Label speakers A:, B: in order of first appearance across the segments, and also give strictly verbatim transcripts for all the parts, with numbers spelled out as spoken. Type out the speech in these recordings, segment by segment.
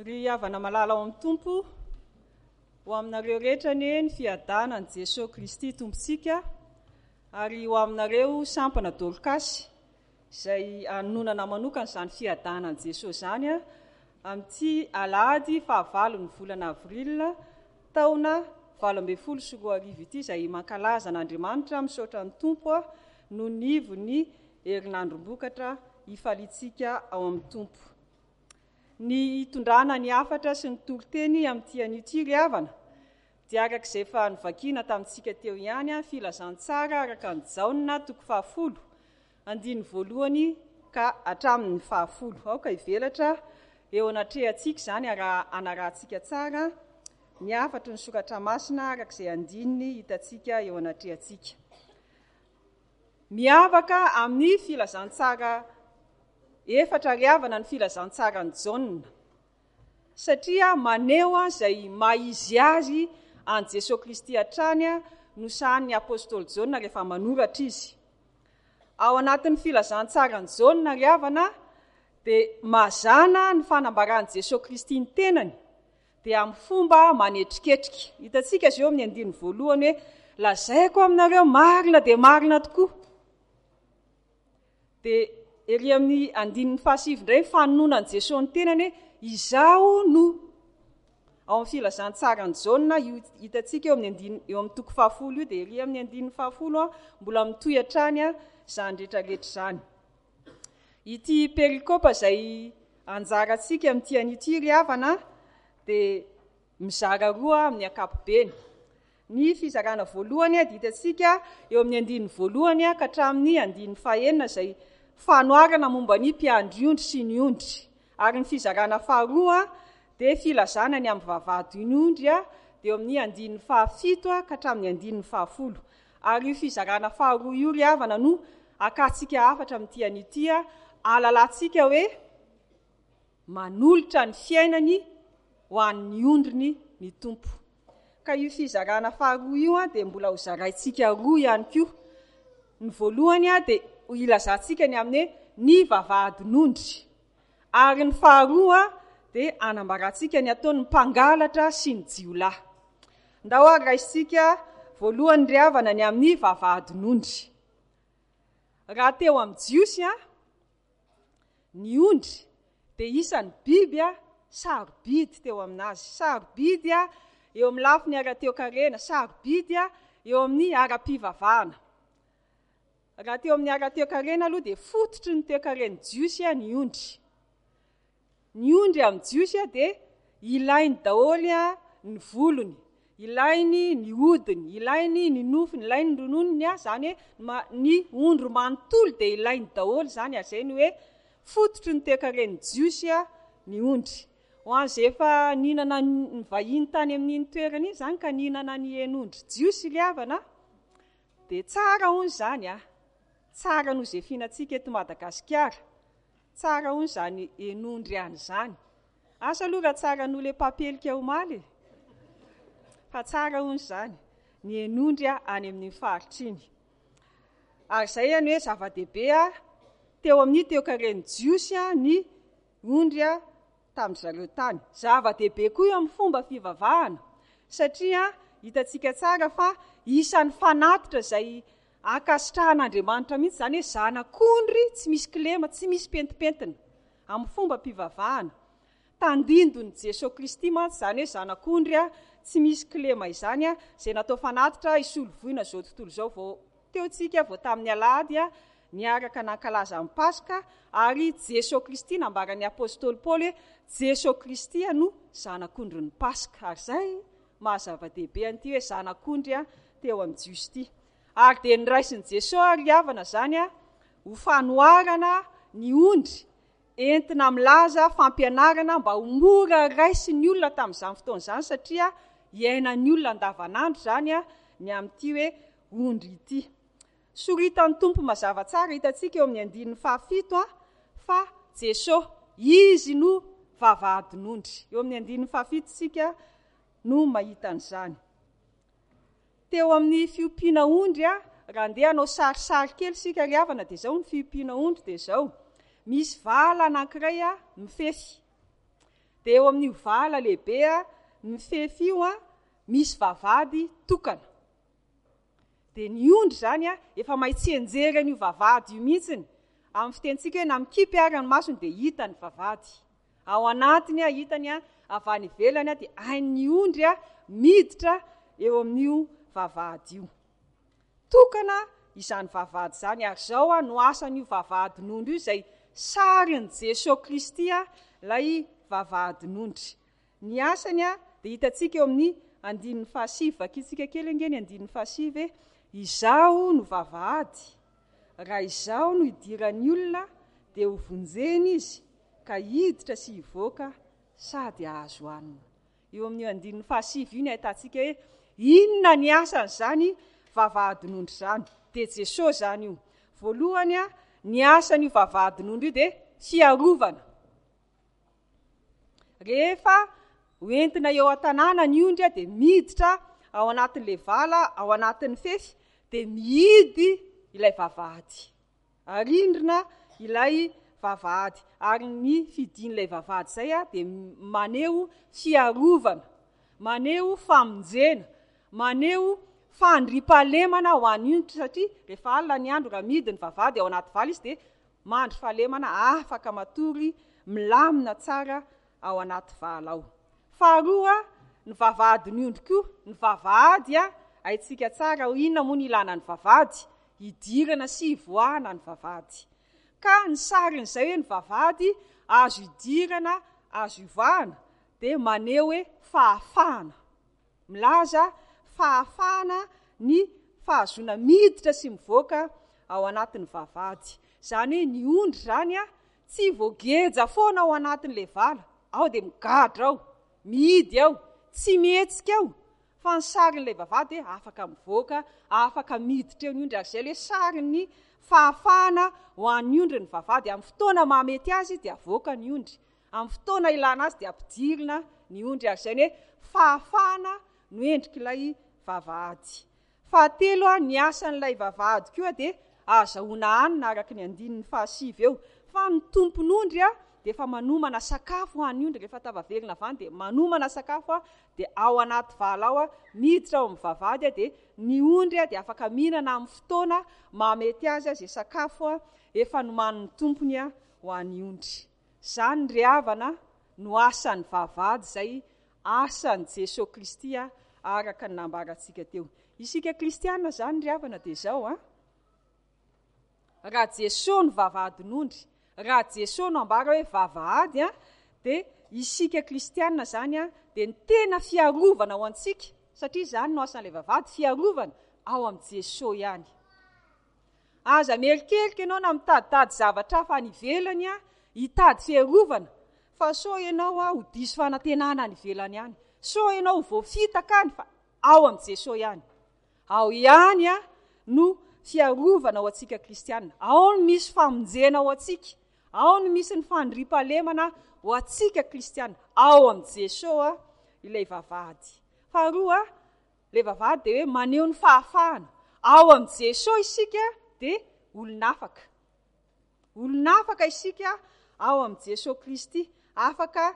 A: Ry havana malala ao amin'ny Tompo, ho aminareo rehetra anie ny fiadanan'i Jesoa Kristy Tompontsika, ary ho aminareo sampana Dorkasy, izay anononana manokana izany fiadanan'i Jesoa izany amin'ity alahady fahavalon'ny volana avril taona valo ambin'ny folo sy roa arivo ity, izay mankalaza an'Andriamanitra, misaotra ny Tompo noho ny ivon'ny herinandrom-bokatra hifaliantsika ao amin'ny Tompo. Ny hitondrana ny hafatra sy ny toriteny amin'ity anio ity ry havana dia araka izay efa novakiana tamintsika teo ihany, filazantsara araka ny Jaona toko fahafolo andininy voalohany ka hatramin'ny fahafolo. Aoka hivelatra eo anatrehantsika izany raha hanarahantsika tsara ny hafatry ny soratra masina araka izay andininy hitantsika eo anatrehantsika. Miavaka amin'ny filazantsara efatra ry havana ny filazantsaran'i Jaona, satria maneho izay maha izy azy an'i Jesoa Kristy hatrany no sahanin'ny apostoly Jaona rehefa manoratra izy. Ao anatin'ny filazantsaran'i Jaona ry havana dia mazàna ny fanambaran'i Jesoa Kristy ny tenany dia amin'ny fomba manetriketrika. Hitantsika izao amin'ny andininy voalohany hoe lazaiko aminareo marina dia marina tokoa. Dia ery amin'ny andininy fahasivy indray fanononan'i Jesoa ny tenany hoe izaho no. Ao amin'ny filazantsaran'i Jaona io hitantsika eo amin'ny andininy, eo amin'ny toko fahafolo io, dia ery amin'ny andininy fahafolo mbola mitohy hatrany izany rehetrarehetra izany. Ity perikopa izay anjarantsika amin'ity anio ity ry havana dia mizara roa amin'ny ankapobeny. Ny fizarana voalohany dia hitantsika eo amin'ny andininy voalohany ka hatramin'ny andininy fahenina izay fanoharana momba ny mpiandry ondry sy ny ondry. Ary ny fizarana faharoa dia filazana ny amin'ny vavahadin'ny ondry dia eo amin'ny andininy fahafito ka hatramin'ny andininy fahafolo. Ary io fizarana faharoa io ry havana no akantsika hafatra amin'ity anio ity, ahalalantsika hoe manolotra ny fiainany ho an'ny ondriny ny Tompo. Ka io fizarana faharoa io dia mbola ho zaraintsika roa ihany koa. Ny voalohany dia ilazantsika ny amin'ny hoe ny vavahadin'ondry. Ary ny faharoa dia anambarantsika ny ataon'ny mpangalatra sy ny jiolahy. Ndao ary raisitsika voalohany ry havana ny amin'ny vavahadin'ondry. Raha teo amin'ny Jiosy ny ondry dia isan'ny biby sarobidy teo aminazy. Sarobidy eo amin'ny lafiny ara-teokarena, sarobidy eo amin'ny ara-pivavahana. Raha teo amin'ny ara-teokarena aloha dia fototry ny teokaren'ny Jiosy ny ondry. Ny ondry amin'ny Jiosy dia ilainy daholo ny volony, ilainy ny hodiny, ilainy ny nofony, ilainy ny rononony, izany hoe ny ondry manontolo dia ilainy daholo izany, ary izay ny hoe fototry ny teokaren'ny Jiosy ny ondry. Ho an'izay efa nihinana ny vahiny tany amin'iny toerana iny izany ka nihinana ny hen'ondry Jiosy ry havana dia tsara hono izany a, tsara noho izay fihinantsika eto Madagasikara, tsara hono izany hen'ondry any izany. Asa aloha raha tsara noho ilay papelika omaly e, fa tsara hono izany ny hen'ondry any amin'iny faritra iny. Ary izay ihany hoe zava-dehibe teo amin'ny teokaren'ny Jiosy ny ondry tamin'ny zareo tany. Zava-dehibe koa eo amin'ny fomba fivavahana, satria hitantsika tsara fa isan'ny fanatitra izay ankasitrahan'Andriamanitra mihitsy izany hoe zanak'ondry tsy misy kilema, tsy misy pentimpentina amin'ny fomba fivavahana. Tandindon'i Jesoa Kristy mantsy izany hoe zanak'ondry tsy misy kilema izany, izay natao fanatitra hisolovoina izao tontolo izao. Vao teo tsika vao tamin'ny alahady niaraka nankalaza ny Paska, ary Jesoa Kristy nambaran'ny apostoly Paoly hoe Jesoa Kristy no zanak'ondrin'ny Paska. Ary izay maha zava-dehibe an'ity hoe zanak'ondry teo amin'ny Jiosy ity. Ary dia niraisin'i Jesoa ry havana izany ho fanoharana ny ondry entina milaza fampianarana mba ho mora raisin'ny olona tamin'izany fotoana izany, satria iainan'ny olona andavanandro izany ny amin'ity hoe ondry ity. Soritan'ny Tompo mazava tsara hitantsika eo amin'ny andininy fahafito fa Jesoa, izy no vavahadin'ondry. Eo amin'ny andininy fahafito isika no mahita an'izany. Teo amin'ny fiompiana ondry, raha andeha hanao sarisary kely isika ry havana, dia izao ny fiompiana ondry dia izao. Misy vala anankiray mifefy. Dia eo amin'io vala lehibe a mifefy io a misy vavahady tokana. Dia ny ondry izany a efa mahay tsianjery an'io vavahady io mihitsiny. Amin'ny fitenintsika hoe na mikipy ary ny masony dia hita ny vavahady. Ao anatiny a hitany a avy any ivelany a dia hain'ny ondry a miditra eo amin'io vavahady io. Tokana izany vavahady izany, ary izao a no asan'io vavahadin'ondry io izay sarin'i Jesoa Kristy a ilay vavahadin'ondry. Ny asany a dia hitantsika eo amin'ny andininy fahasivy. Vakintsika kely ange ny andininy fahasivy hoe izaho no vavahady, raha izaho no idiran'ny olona dia ho vonjena izy ka hiditra sy hivoaka sady hahazo hanina. Eo amin'io andininy fahasivy io ny ahitantsika hoe inona ny asan'izany vavahadin'ondry izany. Dia Jesoa izany io. Voalohany a ny asan'io vavahadin'ondry io dia fiarovana. Rehefa hoentina eo an-tanàna ny ondry a dia miditra ao anatin'ilay vala, ao anatin'ny fefy, dia mihidy ilay vavahady. Arindrina ilay vavahady. Ary ny fidin'ilay vavahady izay a dia maneho fiarovana, maneho famonjena, maneho fandriampahalemana ho an'ny ondry, satria rehefa alina ny andro raha mihidy ny vavahady ao anaty vala izy dia mandry fahalemana, afaka matory milamina tsara ao anaty vala ao. Faharoa, ny vavahadin'ny ondry koa. Ny vavahady a haintsika tsara ho inona moa ny ilana ny vavahady, hidirana sy hivoahana ny vavahady. Ka ny sarin'izay hoe ny vavahady azo idirana, azo ivoahana, dia maneho hoe fahafahana. Milaza fahafahana ny fahazoana miditra sy mivoaka ao anatin'ny vavahady. Izany hoe ny ondry izany a tsy voageja foana ao anatin'ilay vala, ao dia migadra ao, mihidy ao, tsy mihetsika ao, fa ny sarin'ilay vavahady dia afaka mivoaka, afaka miditra eo ny ondry. Ary izay ilay sarin'ny fahafahana ho an'ny ondry ny vavahady. Amin'ny fotoana mahamety azy dia avoaka ny ondry, amin'ny fotoana ilana azy dia ampidirina ny ondry. Ary izay ny hoe fahafahana no endrik'ilay vavahady. Fahatelo a ny asan'ilay vavahady koa dia ahazahoana hanina araka ny andininy fahasivy eo. Fa ny tompon'ondry a dia efa manomana sakafo ho an'ny ondry. Rehefa tafaverina avy any dia manomana sakafo a dia ao anaty vala ao a miditra ao amin'ny vavahady a dia ny ondry a dia afaka mihinana amin'ny fotoana mahamety azy a izay sakafo a efa nomanin'ny tompony a ho an'ny ondry. Izany ry havana no asan'ny vavahady izay asan'i Jesoa Kristy a araka ny nambarantsika teo. Isika kristiana izany ry havana dia izao a raha Jesoa no vavahadin'ondry, raha Jesoa no ambara hoe vavahady a dia isika kristiana izany a dia ny tena fiarovana ho antsika, satria izany no asan'ilay vavahady, fiarovana ao amin'i Jesoa ihany. Aza mierikerika ianao na mitaditady zavatra hafa any ivelany a hitady fiarovana, fa sao ianao a ho diso fanantenana any ivelany any, sao ianao ho voafitaka any, fa ao amin'i Jesoa ihany. Ao ihany a no fiarovana ho antsika kristiana, ao no misy famonjena ho antsika, ao no misy ny fandriampahalemana ho antsika kristiana, ao amin'i Jesoa ilay vavahady. Faharoa, ilay vavahady dia hoe maneho ny fahafahana. Ao amin'i Jesoa isika dia olon'afaka. Olon'afaka isika ao amin'i Jesoa Kristy, afaka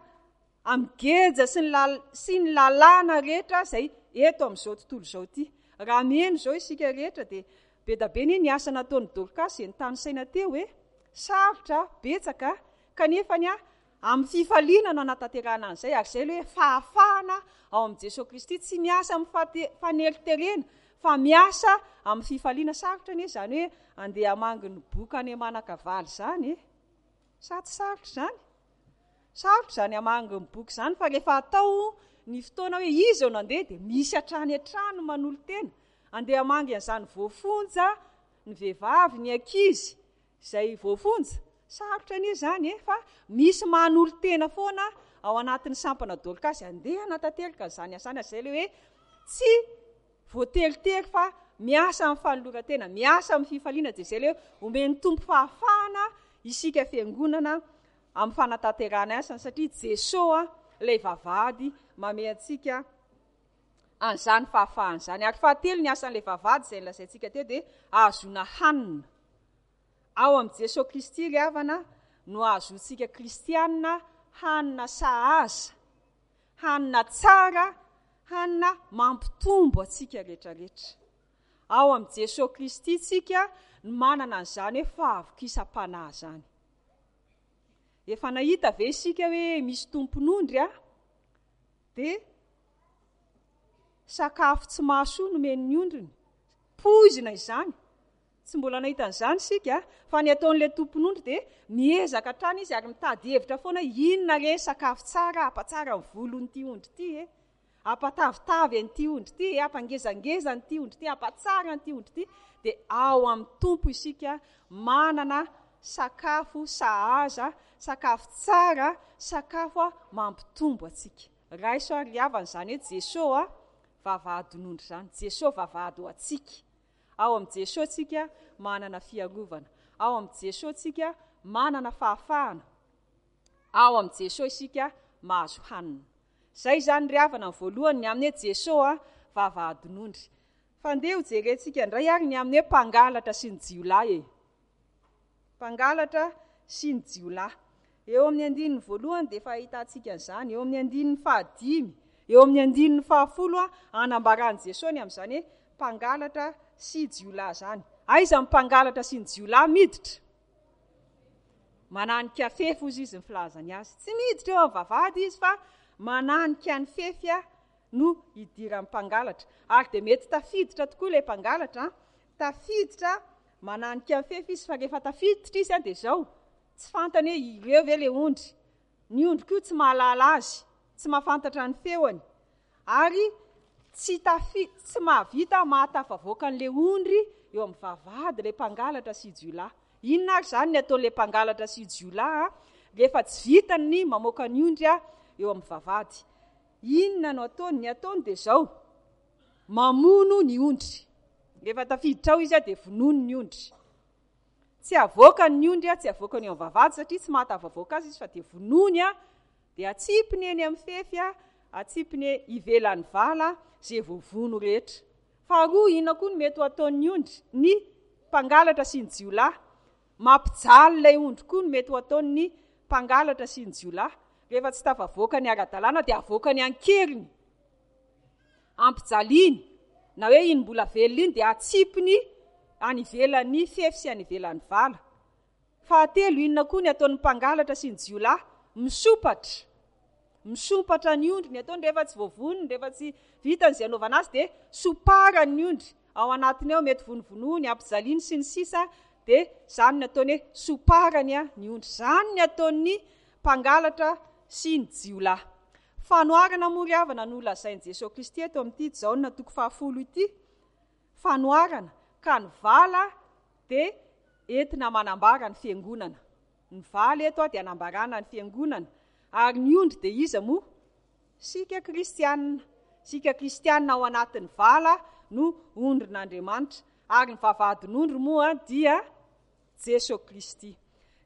A: amin'ny geja sy ny lal-, sy ny lalàna rehetra izay eto amin'izao tontolo izao ity. Raha miheno izao isika rehetra dia be dia be ny asa nataon'i Dorcas izay nitanisaina teo hoe sarotra betsaka, kanefa ny a amin'ny fifaliana no anatanterahana an'izay. Ary izay ilay hoe fahafahana ao amin'i Jesoa Kristy, tsy miasa amin'ny fate-, faneriterena fa miasa amin'ny fifaliana. Sarotra anie izany hoe andeha hamangy ny boka any Manakavaly izany e. Sa tsy sarotra izany? Sarotra izany hamangy ny boka izany, fa rehefa atao ny fotoana hoe izy eo nandeha dia misy hatrany hatrany manolo-tena andeha hamangy an'izany voafonja, ny vehivavy, ny ankizy izay voafonja. Sarotra anie izany e, fa misy manolo-tena foana ao anatin'ny sampana Dorcas andeha hanatanteraka izany asany. Izay ilay hoe tsy voateritery fa miasa amin'ny fanoloran-tena, miasa amin'ny fifaliana. Dia izay ilay hoe omen'ny Tompo fahafahana isika fiangonana amin'ny fanatanterahana asany, satria Jesoa ilay vavahady mamehy antsika an'izany fahafahana izany. Ary fahatelo, ny asan'ilay vavahady izay nolazaintsika teo dia ahazoana hanina. Ao amin'i Jesoa Kristy ry havana no ahazoantsika kristiana Hanina sahaza, hanina tsara, hanina mampitombo antsika rehetrarehetra. Ao amin'i Jesoa Kristy tsika no manana an'izany hoe fahavokisam-panahy izany. Efa nahita ve isika hoe misy tompon'ondry a? Dia sakafo tsy mahasoa nomen'ny ondriny. Poizina izany. Tsy mbola nahita an'izany isika, fa ny ataon'ilay tompon'ondry dia miezaka hatrany izy ary mitady hevitra foana inona re sakafo tsara hampatsara ny volon'ity ondry ity e, hampatavitavy an'ity ondry ity e, hampangezangeza an'ity ondry ity, hampatsara an'ity ondry ity. Dia ao amin'ny Tompo isika manana sakafo sahaza, sakafo tsara, sakafo mampitombo antsika. Raiso ary havana izany hoe Jesoa vavahadin'ondry izany, Jesoa vavahady ho antsika. Ao amin'i Jesoa tsika manana fiarovana, ao amin'i Jesoa tsika manana fahafahana, ao amin'i Jesoa isika mahazo hanina. Izay izany ry havana ny voalohany ny amin'ny hoe Jesoa vavahadin'ondry. Fa ndeha ho jerentsika indray ary ny amin'ny hoe mpangalatra sy ny jiolahy e. Mpangalatra sy ny jiolahy. Eo amin'ny andininy voalohany dia efa ahitantsika an'izany, eo amin'ny andininy fahadimy, eo amin'ny andininy fahafolo anambaran'i Jesoa ny amin'izany hoe mpangalatra sy jiolahy izany. Aiza ny mpangalatra sy ny jiolahy miditra? Mananika fefy hozy izy ny filazany azy. Tsy miditra eo amin'ny vavahady izy fa mananika ny fefy no idiran'ny mpangalatra. Ary dia mety tafiditra tokoa ilay mpangalatra, tafiditra mananika ny fefy izy, fa rehefa tafiditra izy dia izao, tsy fantany hoe ireo ve ilay ondry. Ny ondry koa tsy mahalala azy, tsy mahafantatra ny feony, ary tsy tafi-, tsy mahavita mahatafavoaka an'ilay ondry eo amin'ny vavahady ilay mpangalatra sy jiolahy. Inona ary izany ny ataon'ilay mpangalatra sy jiolahy rehefa tsy vitany ny mamoaka ny ondry eo amin'ny vavahady? Inona no ataony? Ny ataony dia izao, mamono ny ondry. Rehefa tafiditra ao izy dia vonono ny ondry. Tsy avoakany ny ondry, tsy avoakany eo amin'ny vavahady satria tsy mahatafavoaka azy izy fa dia vonoiny, dia atsipiny eny amin'ny fefy, atsipiny ivelan'ny vala izay voavono rehetra. Faharoa, inona koa no mety ho ataon'ny ondry? Ny mpangalatra sy ny jiolahy. Mampijaly ilay ondry koa no mety ho ataon'ny mpangalatra sy ny jiolahy. Rehefa tsy tafavoaka ny ara-dalàna dia avoakany an-keriny, ampijaliany, na hoe iny mbola velona iny dia atsipiny any ivelan'ny fefy sy any ivelan'ny vala. Fahatelo, inona koa ny ataon'ny mpangalatra sy ny jiolahy? Misompatra. Misompatra ny ondry ny ataony rehefa tsy voavonony, rehefa tsy vitany izay anaovana azy dia somparany ny ondry. Ao anatiny ao mety vonovonoany, ampijaliany sy ny sisa, dia izany ny ataony hoe somparany ny ondry. Izany ny ataon'ny mpangalatra sy ny jiolahy. Fanoharana moa ry havana no lazain'i Jesoa Kristy eto amin'ity Jaona toko fahafolo ity. Fanoharana, ka ny vala dia entina manambara ny fiangonana. Ny vala eto dia anambarana ny fiangonana. Ary ny ondry dia iza moa? Sika kristianina. Sika kristianina ao anatin'ny vala no ondrin'Andriamanitra. Ary ny vavahadin'ondry moa dia Jesoa Kristy.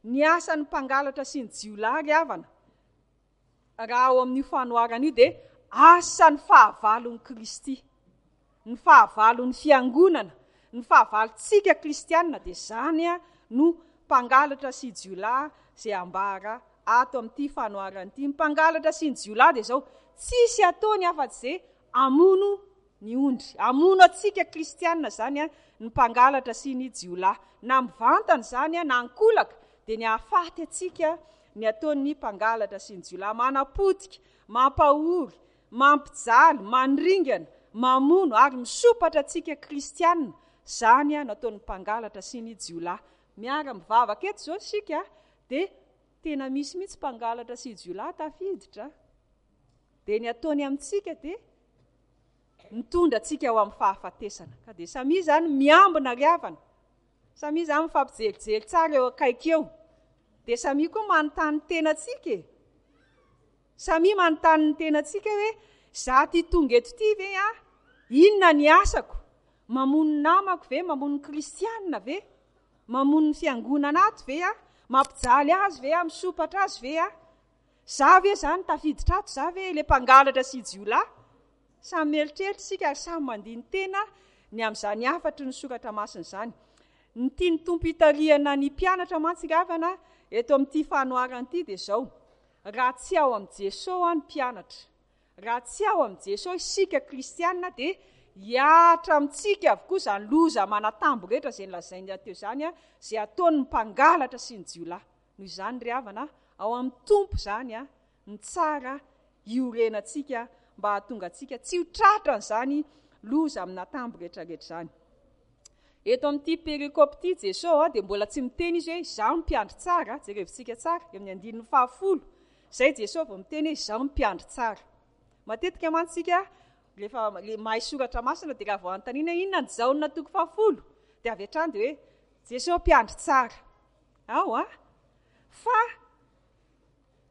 A: Ny asan'ny mpangalatra sy ny jiolahy ry havana, raha ao amin'io fanoharana io dia asan'ny fahavalon'i Kristy. Ny fahavalon'ny fiangonana, ny fahavalontsika kristianina dia izany no mpangalatra sy jiolahy izay ambara ato amin'ity fanoharana ity. Ny mpangalatra sy ny jiolahy dia izao, tsisy ataony afa-tsy izay hamono ny ondry. Hamono antsika kristianina izany ny mpangalatra sy ny jiolahy. Na mivantana izany na ankolaka dia ny hahafaty antsika ny ataon'ny mpangalatra sy ny jiolahy. Manapotika, mampahory, mampijaly, mandringana, mamono ary misopatra antsika kristianina. Izany no ataon'ny mpangalatra sy ny jiolahy. Miara mivavaka eto izao isika dia tena misy mihitsy mpangalatra sy jiolahy tafiditra. Dia ny ataony amintsika dia mitondra antsika ho amin'ny fahafatesana. Ka dia samia izany miambina ry havana. Samia izany mifampijerijery tsara eo akaiky eo. Dia samia koa manontany tena antsika e. Samia manontany ny tena antsika hoe za ty tonga eto ty ve aho? Inona ny asako? Mamono namako ve? Mamono ny kristianina ve? Mamono ny fiangonana ato ve aho? Mampijaly azy ve aho? Misopatra azy ve aho? Za ve zany tafiditra ato? Za ve ilay mpangalatra sy jiolahy? Samy mieritreritra isika ary samy mandini-tena ny amin'izany hafatry ny soratra masina izany. Ny tian'ny Tompo hitarihana ny mpianatra mantsy ry havana eto amin'ity fanoharana ity dia izao. Raha tsy ao amin'i Jesoa ny mpianatra, raha tsy ao amin'i Jesoa isika kristiana, dia hihatra amintsika avokoa izany loza aman'antambo rehetra izay nolazainy teo izany, izay ataon'ny mpangalatra sy ny jiolahy. Noho izany ry havana, ao amin'ny Tompo izany ny tsara hiorenantsika mba hahatonga antsika tsy ho tratran'izany loza amin'antambo rehetrarehetra izany. Eto amin'ity perikope ity Jesoa dia mbola tsy miteny izy hoe izaho no mpiandry tsara, jerevintsika tsara eo amin'ny andininy fahafolo, izay Jesoa vao miteny hoe izaho no mpiandry tsara. Matetika mantsy isika rehefa le mahay soratra masina dia raha vao anontaniana hoe inona ny Jaona toko fahafolo dia avy hatrany dia hoe Jesoa mpiandry tsara. Ao a! Fa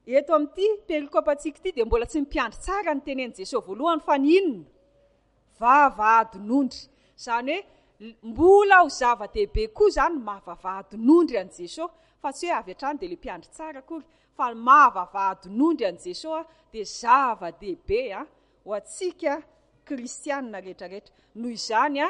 A: eto amin'ity perikopantsika ity dia mbola tsy ny mpiandry tsara ny tenenin'i Jesoa voalohany fa ny inona? Vavahadin'ondry. Izany hoe mbola ho zava-dehibe koa izany ny maha vavahadin'ondry an'i Jesoa, fa tsy hoe avy hatrany dia ilay mpiandry tsara akory, fa ny maha vavahadin'ondry an'i Jesoa dia zava-dehibe ho antsika kristianina rehetrarehetra. Noho izany,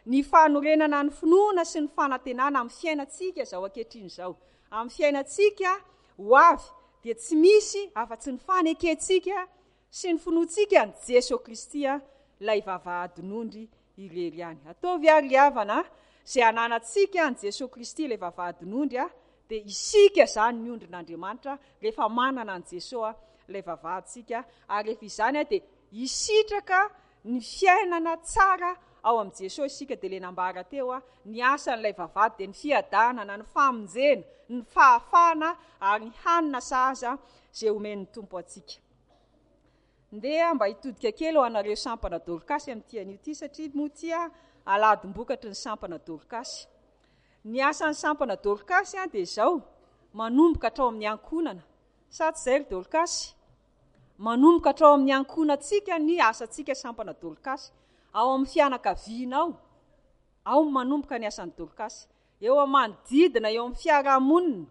A: ny fanorenana ny finoana sy ny fanantenana amin'ny fiainantsika izao ankehitriny izao, amin'ny fiainantsika ho avy, dia tsy misy afa-tsy ny fanekentsika sy ny finoantsika an'i Jesoa Kristy ilay vavahadin'ondry irery ihany. Ataovy ary ry havana, izay ananantsika an'i Jesoa Kristy ilay vavahadin'ondry, dia isika izany ny ondrin'Andriamanitra rehefa manana an'i Jesoa ilay vavahadintsika, ary rehefa izany dia hisitraka ny fiainana tsara ao amin'i Jesoa isika. Dia ilay nambara teo, ny asan'ilay vavahady dia ny fiadanana, ny famonjena, ny fahafahana ary ny hanina sahaza izay omen'ny Tompo antsika. Ndeha mba hitodika kely ho anareo sampana Dorkasy amin'ity anio ity, satria moa ity aladim-bokatry ny sampana Dorkasy. Ny asan'ny sampana Dorkasy dia izao, manomboka hatrao amin'ny ankohonana. Sa tsy izay ry Dorkasy? Manomboka hatrao amin'ny ankohonantsika ny asantsika sampana Dorkasy. Ao amin'ny fianakavianao, ao manomboka ny asan'ny Dorkasy. Eo amin'ny manodidina, eo amin'ny fiarahamonina,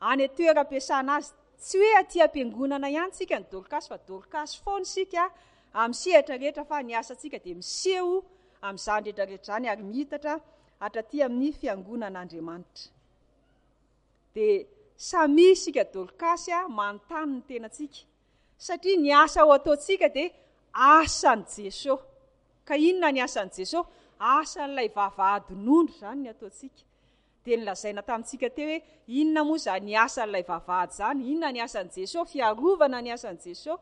A: any an-toeram-piasana azy. Tsy hoe aty am-piangonana ihany tsika ny Dorkasy, fa Dorkasy foana isika amin'ny sehatra rehetra, fa ny asantsika dia miseho amin'izany rehetra rehetra izany ary mihitatra hatraty amin'ny fiangonan'Andriamanitra. Dia samy isika Dorkasy manontany ny tenantsika, satria ny asa ho ataontsika dia asan'i Jesoa. Ka inona ny asan'i Jesoa? Asan'ilay vavahadin'ondry izany ny ataontsika. Dia nolazaina tamintsika teo hoe inona moa izany asan'ilay vavahady izany? Inona ny asan'i Jesoa? Fiarovana ny asan'i Jesoa.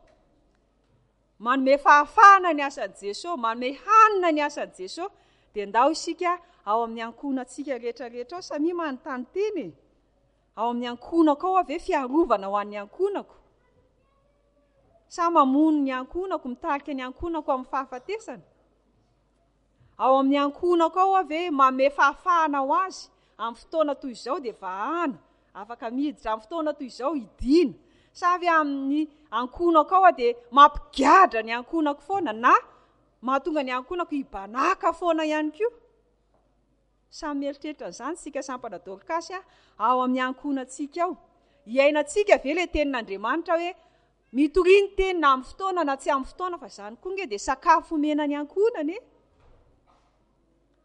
A: Manome fahafahana ny asan'i Jesoa, manome hanina ny asan'i Jesoa. Dia ndao isika ao amin'ny ankohonantsika rehetrarehetra ao, samia manontany tena e. Ao amin'ny ankohonako ao ve fiarovana ho an'ny ankohonako? Sa mamono ny ankohonako, mitarika ny ankohonako amin'ny fahafatesana? Ao amin'ny ankohonako ao ve manome fahafahana ho azy amin'ny fotoana toy izao dia vahana, afaka miditra amin'ny fotoana toy izao hidiana? Sa ve amin'ny ankohonako ao dia mampigadra ny ankohonako foana na mahatonga ny ankohonako hibanaka foana ihany koa? Samy mieritreritra an'izany isika sampana Dorkasy ao amin'ny ankohonantsika ao. Iainantsika ve ilay tenin'Andriamanitra hoe mitoria ny teny na amin'ny fotoana na tsy amin'ny fotoana, fa izany koa nge dia sakafo omena ny ankohonana e?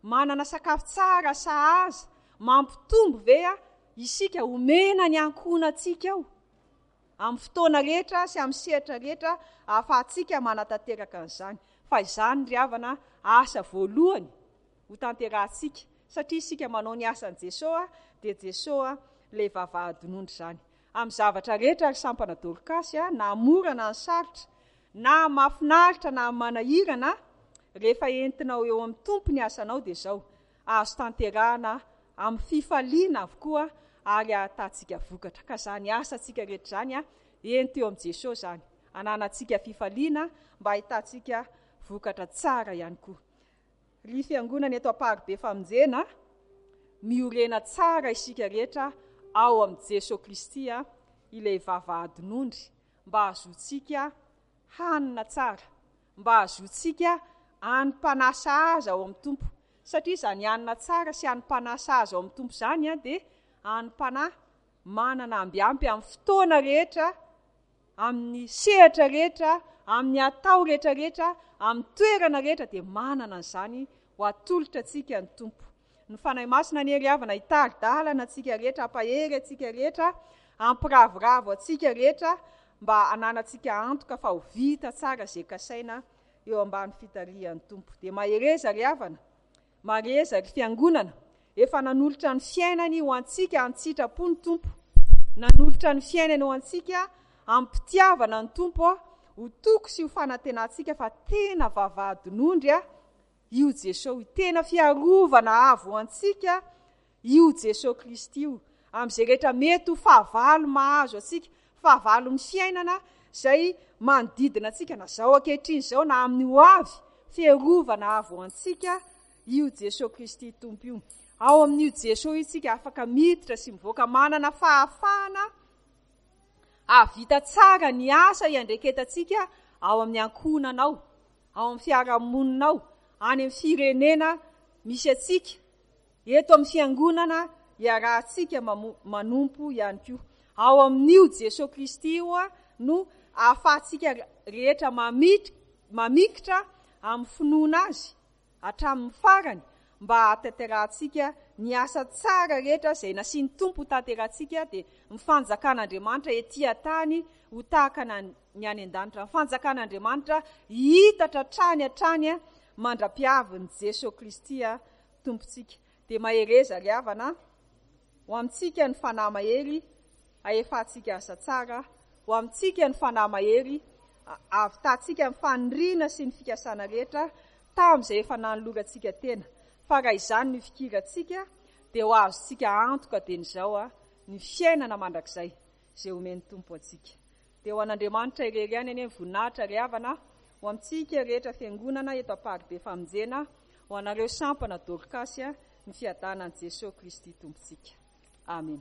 A: Manana sakafo tsara sahaza, mampitombo ve isika omena ny ankohonantsika ao amin'ny fotoana rehetra sy amin'ny sehatra rehetra ahafahantsika manatanteraka an'izany? Fa izany ry havana asa voalohany ho tanterahantsika, satria isika manao ny asan'i Jesoa dia Jesoa ilay vavahadin'ondry izany. Amin'ny zavatra rehetra ry sampana Dorkasy, na mora na ny sarotra, na mahafinaritra na manahirana, rehefa entinao eo amin'ny Tompo ny asanao dia izao, azo tanterahana amin'ny fifaliana avokoa ary ahatantsika vokatra. Ka izany asantsika rehetra izany, ento eo amin'i Jesoa izany, ananantsika fifaliana mba ahitantsika vokatra tsara ihany koa. Ry fiangonana eto Amparibe Famonjena, miorena tsara isika rehetra ao amin'i Jesoa Kristy ilay vavahadin'ondry, mba hahazoantsika hanina tsara, mba hahazoantsika hanim-panahy sahaza ao amin'ny Tompo. Satria izany hanina tsara sy hanim-panahy sahaza ao amin'ny Tompo izany dia hanim-panahy manana ambiampy amin'ny fotoana rehetra, amin'ny sehatra rehetra, amin'ny atao rehetra rehetra, amin'ny toerana rehetra dia manana an'izany ho atolotra antsika ny Tompo. Ny Fanahy Masina anie ry havana hitari-dalana antsika rehetra, hampahery antsika rehetra, hampiravoravo antsika rehetra mba hananantsika antoka fa ho vita tsara izay kasaina eo ambany fitarihan'ny Tompo. Dia mahereza ry havana, mahereza ry fiangonana, efa nanolotra ny fiainany ho antsika an-tsitrapo ny Tompo. Nanolotra ny fiainany ho antsika am-pitiavana ny Tompo ho toky sy ho fanantenantsika fa tena vavahadin'ondry io Jesoa io, tena fiarovana avo ho antsika io Jesoa Kristy io, amin'izay rehetra mety ho fahavalo mahazo antsika, fahavalon'ny fiainana izay manodidina antsika na izao ankehitriny izao na amin'ny ho avy, fiarovana avo ho antsika io Jesoa Kristy Tompo io. Ao amin'io Jesoa io isika afaka miditra sy mivoaka, manana fahafahana hahavita tsara ny asa iandraiketantsika ao amin'ny ankohonanao, ao amin'ny fiarahamoninao, any amin'ny firenena misy antsika, eto amin'ny fiangonana iarahantsika manompo ihany koa. Ao amin'io Jesoa Kristy io no ahafahantsika rehetra mamikitra amin'ny finoana azy hatramin'ny farany mba hahatanterahantsika ny asa tsara rehetra izay nasian'ny Tompo ho tanterahantsika, dia ny fanjakan'Andriamanitra ety an-tany ho tahaka ny any an-danitra. Ny fanjakan'Andriamanitra hihitatra hatrany hatrany mandra-piavin'i Jesoa Kristy Tompontsika. Dia mahereza ry havana, ho amintsika ny fanahy mahery ahefantsika asa tsara, ho amintsika ny fanahy mahery ahavitantsika ny faniriana sy ny fikasana rehetra tamin'izay efa nanolorantsika tena. Fa raha izany no ifikirantsika dia ho azontsika antoka dieny izao ny fiainana mandrakizay izay omen'ny Tompo antsika. Dia ho an'Andriamanitra irery ihany anie ny voninahitra ry havana, ho amintsika rehetra fiangonana eto Amparibe Famonjena, ho anareo sampana Dorkasy, ny fiadanan'i Jesoa Kristy Tompontsika. Amen.